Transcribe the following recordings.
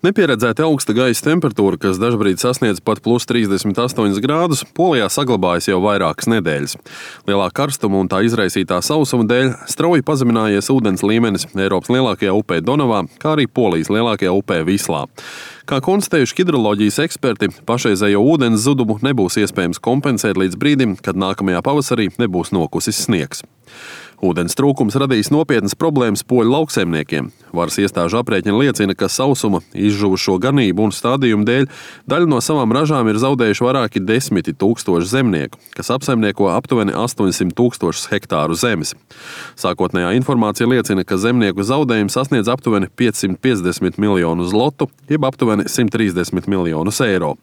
Nepieredzēta augsta gaisa temperatūra, kas dažbrīd sasniedz pat plus 38 grādus, Polijā saglabājas jau vairākas nedēļas. Lielā karstuma un tā izraisītā sausuma dēļ strauji pazeminājies ūdens līmenis Eiropas lielākajā upē Donavā, kā arī Polijas lielākajā upē Vislā. Kā konstatējuši hidroloģijas eksperti, pašreizējo ūdens zudumu nebūs iespējams kompensēt līdz brīdim, kad nākamajā pavasarī nebūs nokusis sniegs. Ūdens trūkums radīs nopietnas problēmas poļu lauksaimniekiem. Varas iestāžu aprēķini liecina, ka sausuma, izžuvušo ganību un stādījumu dēļ daļu no savām ražām ir zaudējuši vairāki 10 000 zemnieku, kas apsaimnieko aptuveni 800 000 hektāru zemes. Sākotnējā informācija liecina, ka zemnieku zaudējumi sasniedz aptuveni 550 miljonus zlotu, jeb aptuveni 130 miljonus eiro.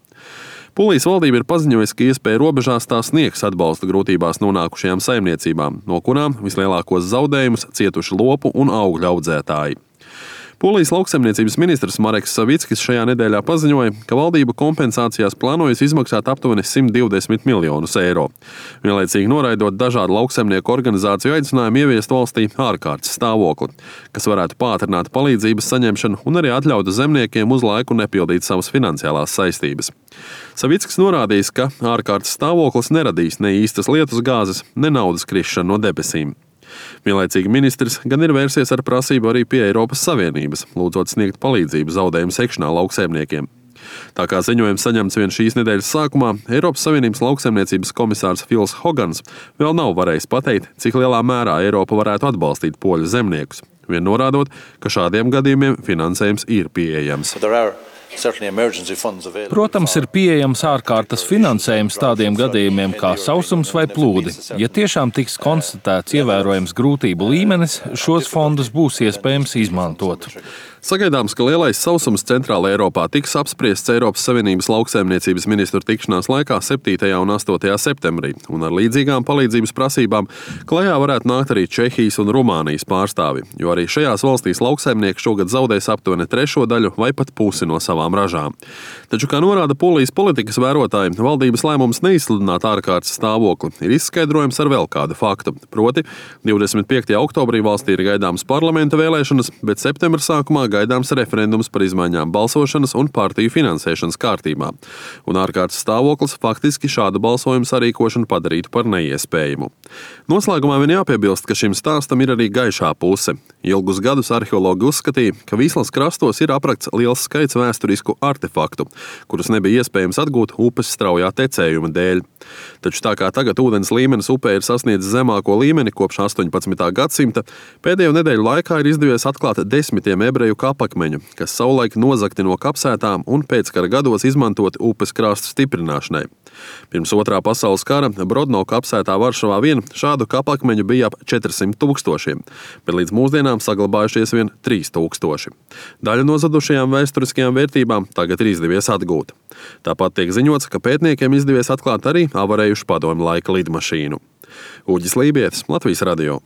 Polijas valdība ir paziņojusi, ka iespēja robežās tā sniegs atbalsta grūtībās nonākušajām saimniecībām, no kurām vislielākos zaudējumus cietuši lopu un augļu audzētāji. Polijas lauksaimniecības ministrs Mareks Savickis šajā nedēļā paziņoja, ka valdība kompensācijās plānojas izmaksāt aptuveni 120 miljonus eiro. Vienlaicīgi noraidot dažādu lauksaimnieku organizāciju aicinājumu ieviest valstī ārkārtas stāvokli, kas varētu pātrināt palīdzības saņemšanu un arī atļautu zemniekiem uz laiku nepildīt savas finansiālās saistības. Savickis norādījis, ka ārkārtas stāvoklis neradīs ne īstas lietus gāzes, ne naudas krišanu no debesīm. Vienlaicīgi ministrs gan ir vērsies ar prasību arī pie Eiropas Savienības, lūdzot sniegt palīdzību zaudējumu sekšanā lauksaimniekiem. Tā kā ziņojums saņemts vien šīs nedēļas sākumā, Eiropas Savienības lauksaimniecības komisārs Fils Hogans vēl nav varējis pateikt, cik lielā mērā Eiropa varētu atbalstīt poļu zemniekus, vien norādot, ka šādiem gadījumiem finansējums ir pieejams. Protams, ir pieejams ārkārtas finansējums tādiem gadījumiem kā sausums vai plūdi. Ja tiešām tiks konstatēts ievērojams grūtību līmenis, šos fondus būs iespējams izmantot. Sagaidāms, ka lielais sausums Centrāla Eiropā tiks apspriests Eiropas Savienības lauksaimniecības ministru tikšanās laikā 7. un 8. septembrī, un ar līdzīgām palīdzības prasībām klajā varētu nākt arī Čehijas un Rumānijas pārstāvi, jo arī šajās valstīs lauksaimnieki šogad zaudēs aptuveni trešo daļu vai pat pusi no savām ražām. Taču, kā norāda Polijas politikas vērotāji, valdības lēmums neizsludināt ārkārtas stāvokli ir izskaidrojams ar vēl kādu faktu. Proti, 25. oktobrī valstī ir gaidāmas parlamenta vēlēšanas, bet septembra sākumā gaidāms referendums par izmaiņām balsošanas un partiju finansēšanas kārtībā. Un ārkārtas stāvoklis faktiski šādu balsojumu sarīkošanu padarītu par neiespējamu. Noslēgumā vien jāpiebilst, ka šim stāstam ir arī gaišā puse. Ilgus gadus arheologi uzskatīja, ka Vislas krastos ir aprakts liels skaits vēsturisku artefaktu, kurus nebija iespējams atgūt upes straujā tecējuma dēļ. Taču tā kā tagad ūdens līmenis upē ir sasniedzis zemāko līmeni kopš 18. gadsimta, pēdējo nedēļu laikā ir izdevies atklāt 10 ebreju kapakmeņu, kas savulaik nozagti no kapsētām un pēckara gados izmantoti upes krastu stiprināšanai. Pirms Otrā pasaules kara Brodno kapsētā Varšavā vien šādu kapakmeņu bija ap 400 000, bet līdz mūsdienām saglabājušies vien 3000. Daļu no zadušajām vēsturiskajām vērtībām tagad ir izdevies atgūt. Tāpat tiek ziņots, ka pētniekiem izdevies atklāt arī avarējušu padomju laika lidmašīnu. Uģis Lībietis, Latvijas radio.